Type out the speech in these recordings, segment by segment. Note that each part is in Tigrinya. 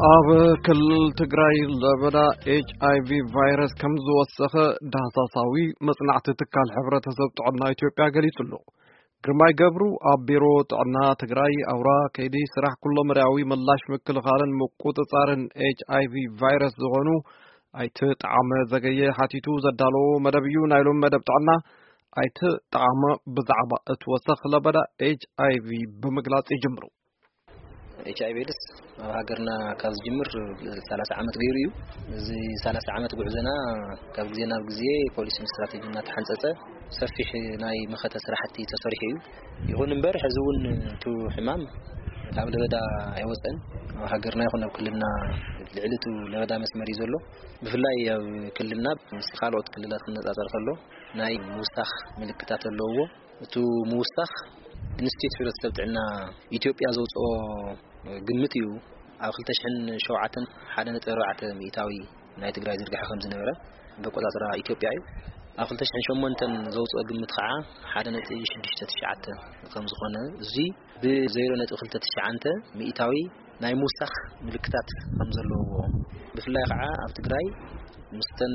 ኣብ ክልል ትግራይ ለበዳ ኤች ኣይ ቪ ቫይረስ ከም ዝወሰኸ ዳህሳሳዊ መጽናዕቲ ትካል ሕብረተሰብ ጥዕና ኢትዮጵያ ገሊጹ ኣሎ። ግርማይ ገብሩ ኣብ ቢሮ ጥዕና ትግራይ ኣውራ ከይዲ ስራሕ ኩሎ መዳያዊ ምላሽ ምክልኻልን ምቁጽጻርን ኤች ኣይ ቪ ቫይረስ ዝኾኑ ኣይተ ጣዕመ ዘገየ ሓቲቱ ዘዳለዎ መደብ እዩ። ናይ ሎሚ መደብ ጥዕና ኣይተ ጣዕመ ብዛዕባ እቲ ወሰኽ ለበዳ ኤች ኣይ ቪ ብምግላጽ ይጅምሩ። ኤች ኣይ ቪ ኤድስ ኣብ ሃገርና ካብ ዝጅምር ሰላሳ ዓመት ገይሩ እዩ። እዚ ሰላሳ ዓመት ጉዕዞና ካብ ግዜ ናብ ግዜ ፖሊሲን ስትራቴጂን እናተሓንጸጸ ሰፊሕ ናይ መኸተ ስራሕቲ ተሰሪሑ እዩ። ይኹን እምበር፣ ሕዚ እውን እቲ ሕማም ካብ ለበዳ ኣይወጸን። ኣብ ሃገርና ይኹን ኣብ ክልልና ልዕሊ እቲ ለበዳ መስመር እዩ ዘሎ። ብፍላይ ኣብ ክልልና ምስ ካልኦት ክልላት ክነጻጸር ከሎ ናይ ምውሳኽ ምልክታት ኣለውዎ። እቲ ምውሳኽ ኢንስቲትዩት ሕብረተሰብ ጥዕና ኢትዮጵያ ዘውፅኦ ግምት እዩ። ኣብ ክልተ ሽሕን ሸውዓተን ሓደ ነጥቢ ኣርባዕተ ሚእታዊ ናይ ትግራይ ዝርግሐ ከም ዝነበረ በቆፃፅራ ኢትዮጵያ እዩ። ኣብ ክልተ ሽሕን ሸሞንተን ዘውፅኦ ግምት ከዓ ሓደ ነጥቢ ሽዱሽተ ትሽዓተ ከም ዝኾነ፣ እዚ ብዜሮ ነጥቢ ክልተ ትሽዓተ ሚእታዊ ናይ ምውሳኽ ምልክታት ከም ዘለውዎ፣ ብፍላይ ከዓ ኣብ ትግራይ ምስተን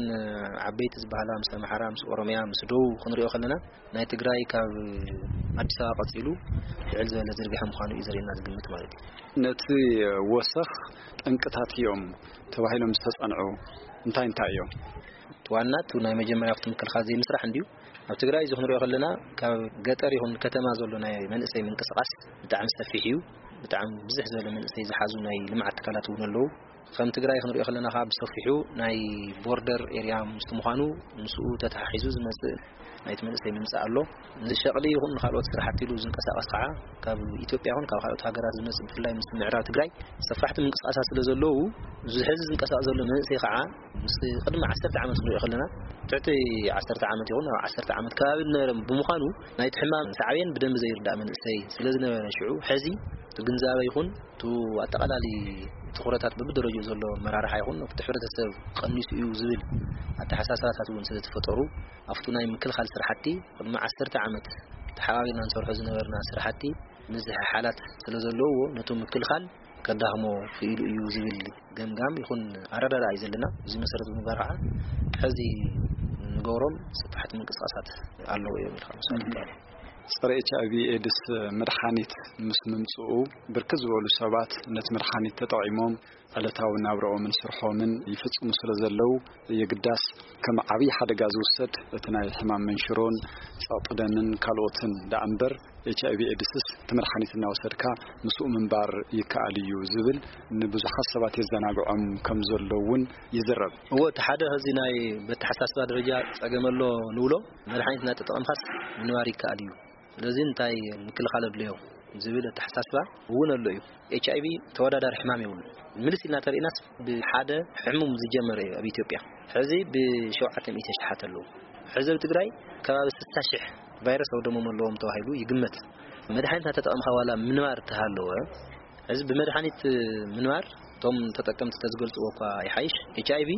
ዓበይቲ ዝበሃላ ምስ ኣምሓራ፣ ምስ ኦሮሚያ፣ ምስ ደቡብ ክንሪኦ ከለና፣ ናይ ትግራይ ካብ ኣዲስ ኣበባ ቀፂሉ ልዕል ዝበለ ዝርግሐ ምዃኑ እዩ ዘርእየና ዝግምት ማለት እዩ። ነቲ ወሰኽ ጠንቅታት እዮም ተባሂሎም ዝተጸንዑ እንታይ እንታይ እዮም? እቲ ዋና እቲ ናይ መጀመርያ ኣብቲ ምክልኻል ዘይምስራሕ እንድዩ። ኣብ ትግራይ እዚ ክንሪኦ ከለና ካብ ገጠር ይኹን ከተማ ዘሎ ናይ መንእሰይ ምንቅስቓስ ብጣዕሚ ሰፊሕ እዩ። ብጣዕሚ ብዝሕ ዝበለ መንእሰይ ዝሓዙ ናይ ልምዓት ትካላት እውን ኣለዉ። ከም ትግራይ ክንሪኦ ከለና ከዓ ብሰፊሑ ናይ ቦርደር ኤርያ ምስ ምዃኑ ምስኡ ተተሓሒዙ ዝመፅእ ናይቲ መንእሰይ ምምፃእ ኣሎ። ንሸቕሊ ይኹን ንካልኦት ስራሕቲ ኢሉ ዝንቀሳቐስ ከዓ ካብ ኢትዮጵያ ይኹን ካብ ካልኦት ሃገራት ዝመፅእ ብፍላይ ምስ ምዕራብ ትግራይ ሰፋሕቲ ምንቅስቃሳት ስለ ዘለዉ፣ እዚ ሕዚ ዝንቀሳቐስ ዘሎ መንእሰይ ከዓ ምስ ቅድሚ ዓሰርተ ዓመት ክንሪኦ ከለና ትሕቲ ዓሰርተ ዓመት ይኹን ኣብ ዓሰርተ ዓመት ከባቢ ዝነበረ ብምዃኑ ናይቲ ሕማም ሳዕቤን ብደንቢ ዘይርዳእ መንእሰይ ስለ ዝነበረ ሽዑ ሕዚ እቲ ግንዛበ ይኹን እቲ ኣጠቓላሊ ትኹረታት በብደረጃኡ ዘሎ ኣመራርሓ ይኹን እቲ ሕብረተሰብ ቀኒሱ እዩ ዝብል ኣተሓሳስባታት እውን ስለ ዝፈጠሩ ኣብቲ ናይ ምክልኻል ስራሕቲ ቅድሚ ዓሰርተ ዓመት ተሓባቢርና ንሰርሖ ዝነበርና ስራሕቲ ምዝሕሓላት ስለ ዘለውዎ ነቲ ምክልኻል ከዳኽሞ ክኢሉ እዩ ዝብል ገምጋም ይኹን ኣረዳድኣ እዩ ዘለና። እዚ መሰረት ብምግባር ከዓ ሕዚ ንገብሮም ሰፋሕቲ ምንቅስቃሳት ኣለዉ እዮም ኢልካ ምስዋር ይከኣል። ጸረ ኤች ኣይ ቪ ኤድስ መድሓኒት ምስ ምምጽኡ ብርክት ዝበሉ ሰባት ነቲ መድሓኒት ተጠቒሞም ዕለታዊ ናብርኦምን ስርሖምን ይፍጽሙ ስለ ዘለዉ የግዳስ ከም ዓብዪ ሓደጋ ዝውሰድ እቲ ናይ ሕማም መንሽሮን ጸቕጢ ደምን ካልኦትን ደኣ እምበር ኤች ኣይ ቪ ኤድስስ እቲ መድሓኒት እናወሰድካ ምስኡ ምንባር ይከኣል እዩ ዝብል ንብዙሓት ሰባት የዘናግዖም ከም ዘሎ እውን ይዝረብ። እዎ፣ እቲ ሓደ ኸዚ ናይ በተሓሳስባ ደረጃ ጸገም ኣሎ ንብሎ፣ መድሓኒት እናተጠቐምካስ ምንባር ይከኣል እዩ። ስለዚ እንታይ ምክልኻል ኣድለዮ ዝብል ኣተሓሳስባ እውን ኣሎ እዩ። ኤች ኣይ ቪ ተወዳዳሪ ሕማም የብሉን። ምልስ ኢልና ተሪእናስ ብሓደ ሕሙም ዝጀመረ እዩ ኣብ ኢትዮጵያ። ሕዚ ብሸውዓተ ሚእቲ ኣሽሓት ኣለዉ። ሕዚ ኣብ ትግራይ ከባቢ ስልሳ ሽሕ ቫይረስ ኣውደሞም ኣለዎም ተባሂሉ ይግመት። መድሓኒት እናተጠቐምካ ዋላ ምንባር ተሃለወ፣ ሕዚ ብመድሓኒት ምንባር እቶም ተጠቀምቲ ተዝገልጽዎ እኳ ይሓይሽ። ኤች ኣይ ቪ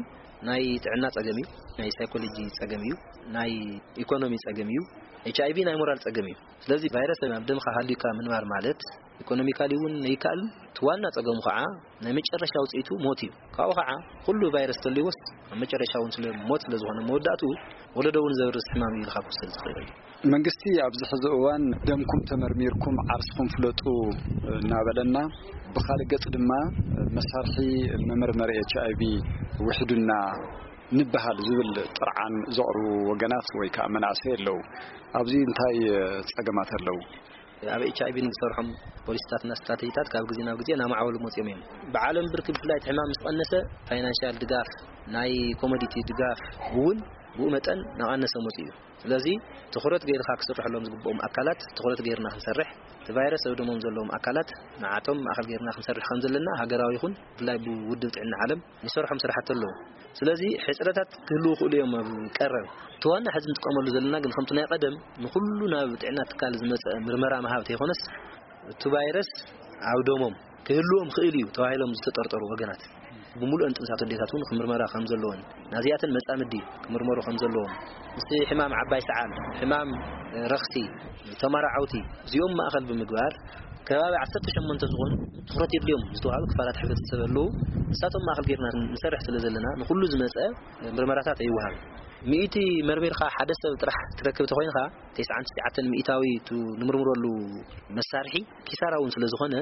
ናይ ጥዕና ጸገም እዩ፣ ናይ ሳይኮሎጂ ጸገም እዩ፣ ናይ ኢኮኖሚ ጸገም እዩ። ኤች ኣይ ቪ ናይ ሞራል ጸገም እዩ። ስለዚ ቫይረስ ኣብ ደምካ ሃልዩካ ምንባር ማለት ኢኮኖሚካሊ እውን ኣይከኣልን። እቲ ዋና ጸገሙ ከዓ ናይ መጨረሻ ውጽኢቱ ሞት እዩ። ካብኡ ከዓ ኩሉ ቫይረስ ተልይዎስ ኣብ መጨረሻ እውን ስለ ሞት ስለ ዝኾነ መወዳእትኡ ወለዶ እውን ዘብርስ ሕማም እዩ ኢልካ ክትወስድ ትኽእል እዩ። መንግስቲ ኣብዚ ሕዚ እዋን ደምኩም ተመርሚርኩም ዓርስኹም ፍለጡ እናበለና፣ ብኻልእ ገጽ ድማ መሳርሒ መመርመሪ ኤች ኣይ ቪ ውሒዱና ንበሃል ዝብል ጥርዓን ዘቕርቡ ወገናት ወይ ከዓ መናእሰይ ኣለዉ። ኣብዚ እንታይ ጸገማት ኣለዉ? ኣብ ኤች ኣይ ቪ ንዝሰርሖም ፖሊሲታትና ስትራቴጂታት ካብ ግዜ ናብ ግዜ እናማዕበሉ መፅዮም እዮም። ብዓለም ብርኪ ብፍላይ እቲ ሕማም ምስ ቀነሰ ፋይናንሻል ድጋፍ፣ ናይ ኮሞዲቲ ድጋፍ እውን ብኡ መጠን እናቐነሰ መፅኡ እዩ። ስለዚ ትኹረት ገይርካ ክስርሐሎም ዝግብኦም ኣካላት ትኹረት ገይርና ክንሰርሕ፣ እቲ ቫይረስ ኣብ ደሞም ዘለዎም ኣካላት ንዓቶም ማእኸል ገይርና ክንሰርሕ ከም ዘለና ሃገራዊ ይኹን ብፍላይ ብውድብ ጥዕና ዓለም ንሰርሖም ስራሕቲ ኣለዉ። ስለዚ ሕፅረታት ክህልዉ ይኽእሉ እዮም ኣብ ቀረብ። እቲ ዋና ሕዚ ንጥቀመሉ ዘለና ግን ከምቲ ናይ ቀደም ንኹሉ ናብ ጥዕና ትካል ዝመፀ ምርመራ ምሃብ ተይኮነስ እቲ ቫይረስ ኣብ ደሞም ክህልዎም ክእል እዩ ተባሂሎም ዝተጠርጠሩ ወገናት ብምሉእን ጥንሳት ኣዴታት እውን ክምርመራ ከም ዘለዎን ናዚኣተን መጻምዲ ክምርመሩ ከም ዘለዎም፣ ምስ ሕማም ዓባይ ሰዓል፣ ሕማም ረኽሲ፣ ተመራዓውቲ እዚኦም ማእኸል ብምግባር ከባቢ ዓሰርተ ሸሞንተ ዝኾኑ ትኹረት የድልዮም ዝተባሃሉ ክፋላት ሕብረተሰብ ኣለዉ። ንሳቶም ማእኸል ጌርና ንሰርሕ ስለ ዘለና ንኹሉ ዝመፀ ምርመራታት ኣይወሃብን። ሚእቲ መርሚርካ ሓደ ሰብ ጥራሕ ትረክብ ተኾይንካ፣ ተስዓን ትሽዓተን ሚእታዊ እቲ ንምርምረሉ መሳርሒ ኪሳራ እውን ስለ ዝኾነ፣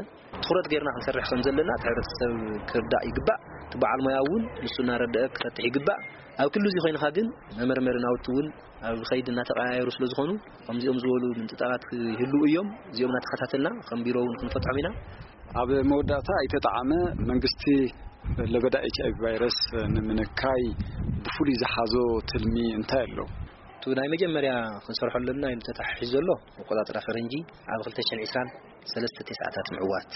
ትኹረት ጌርና ክንሰርሕ ከም ዘለና እቲ ሕብረተሰብ ክርዳእ ይግባእ። እቲ በዓል ሞያ እውን ንሱ እናረደአ ክፈትሕ ይግባእ። ኣብ ክሉ እዚ ኮይንካ ግን መመርመሪ ናውቲ እውን ኣብ ከይዲ እናተቀያየሩ ስለ ዝኾኑ፣ ከምዚኦም ዝበሉ ምንጥጣባት ክህልዉ እዮም። እዚኦም እናተኸታተልና ከም ቢሮ እውን ክንፈትሖም ኢና። ኣብ መወዳእታ ኣይተጠዓመ መንግስቲ ለበዳ ኤች ኣይ ቪ ቫይረስ ንምንካይ ብፍሉይ ዝሓዞ ትልሚ እንታይ ኣሎ? እቲ ናይ መጀመርያ ክንሰርሖ ኣለና ኢሉ ተታሒዙ ዘሎ መቆጻጽራ ፈረንጂ ኣብ ክልተ ሽሕን ዕስራን ሰለስተ ቴስዓታት ምዕዋት።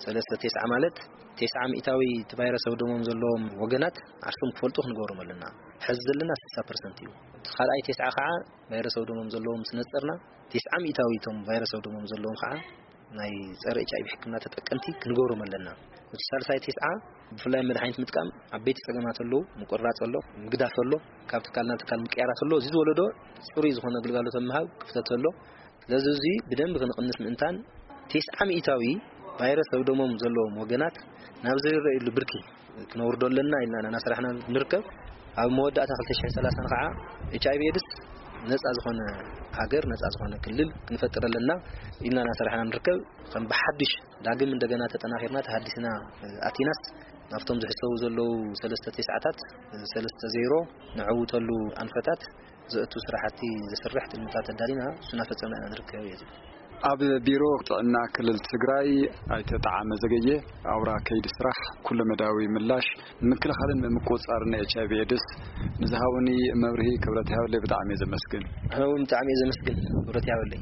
ሰለስተ ቴስዓ ማለት ቴስዓ ሚእታዊ እቲ ቫይረስ ኣብ ደሞም ዘለዎም ወገናት ዓርሶም ክፈልጡ ክንገብሮም ኣለና። ሕዚ ዘለና ስሳ ፐርሰንት እዩ። እቲ ካልኣይ ቴስዓ ከዓ ቫይረስ ኣብ ደሞም ዘለዎም ምስ ነጸርና፣ ቴስዓ ሚእታዊ እቶም ቫይረስ ኣብ ደሞም ዘለዎም ከዓ ናይ ጸረ ኤች ኣይ ቪ ሕክምና ተጠቀምቲ ክንገብሮም ኣለና። እቲ ሳልሳይ ቴስዓ ብፍላይ መድሓኒት ምጥቃም ዓበይቲ ጸገማት ኣለዉ። ምቁርራጽ ኣሎ፣ ምግዳፍ ኣሎ፣ ካብ ትካል ናብ ትካል ምቅያራት ኣሎ። እዚ ዝወለዶ ጽሩይ ዝኾነ ግልጋሎት ኣብ ምሃብ ክፍተት ኣሎ። ስለዚ እዚ ብደንቢ ክንቕንስ ምእንታን ቴስዓ ሚእታዊ ቫይረስ ኣብ ደሞም ዘለዎም ወገናት ናብ ዘይረኣየሉ ብርኪ ክነውርዶ ኣለና ኢልና እናሰራሕና ንርከብ። ኣብ መወዳእታ ክልተ ሽሕን ሰላሳን ከዓ ኤች ኣይ ቪ ኤድስ ነፃ ዝኾነ ሃገር፣ ነፃ ዝኾነ ክልል ክንፈጥር ኣለና ኢልና እናሰራሕና ንርከብ። ከም ብሓድሽ ዳግም እንደገና ተጠናኺርና ተሃዲስና ኣቲናስ ናብቶም ዝሕሰቡ ዘለዉ ሰለስተ ቴስዓታት ሰለስተ ዜሮ ነዕውተሉ ኣንፈታት ዘእቱ ስራሕቲ ዘስርሕ ትልምታት ኣዳሊና እሱ እናፈጸምና ኢና ንርከብ እዩ ዝብል። ኣብ ቢሮ ጥዕና ክልል ትግራይ ኣይተ ጠዓመ ዘገየ፣ ኣውራ ከይዲ ስራሕ ኩለመዳያዊ ምላሽ ንምክልኻልን ምምቁጻርን ኤች ኣይ ቪ ኤድስ ንዝሃቡኒ መብርሂ ክብረት ይሃበለይ ብጣዕሚ እየ ዘመስግን። ኣነ እውን ብጣዕሚ እየ ዘመስግን፣ ክብረት ይሃበለይ።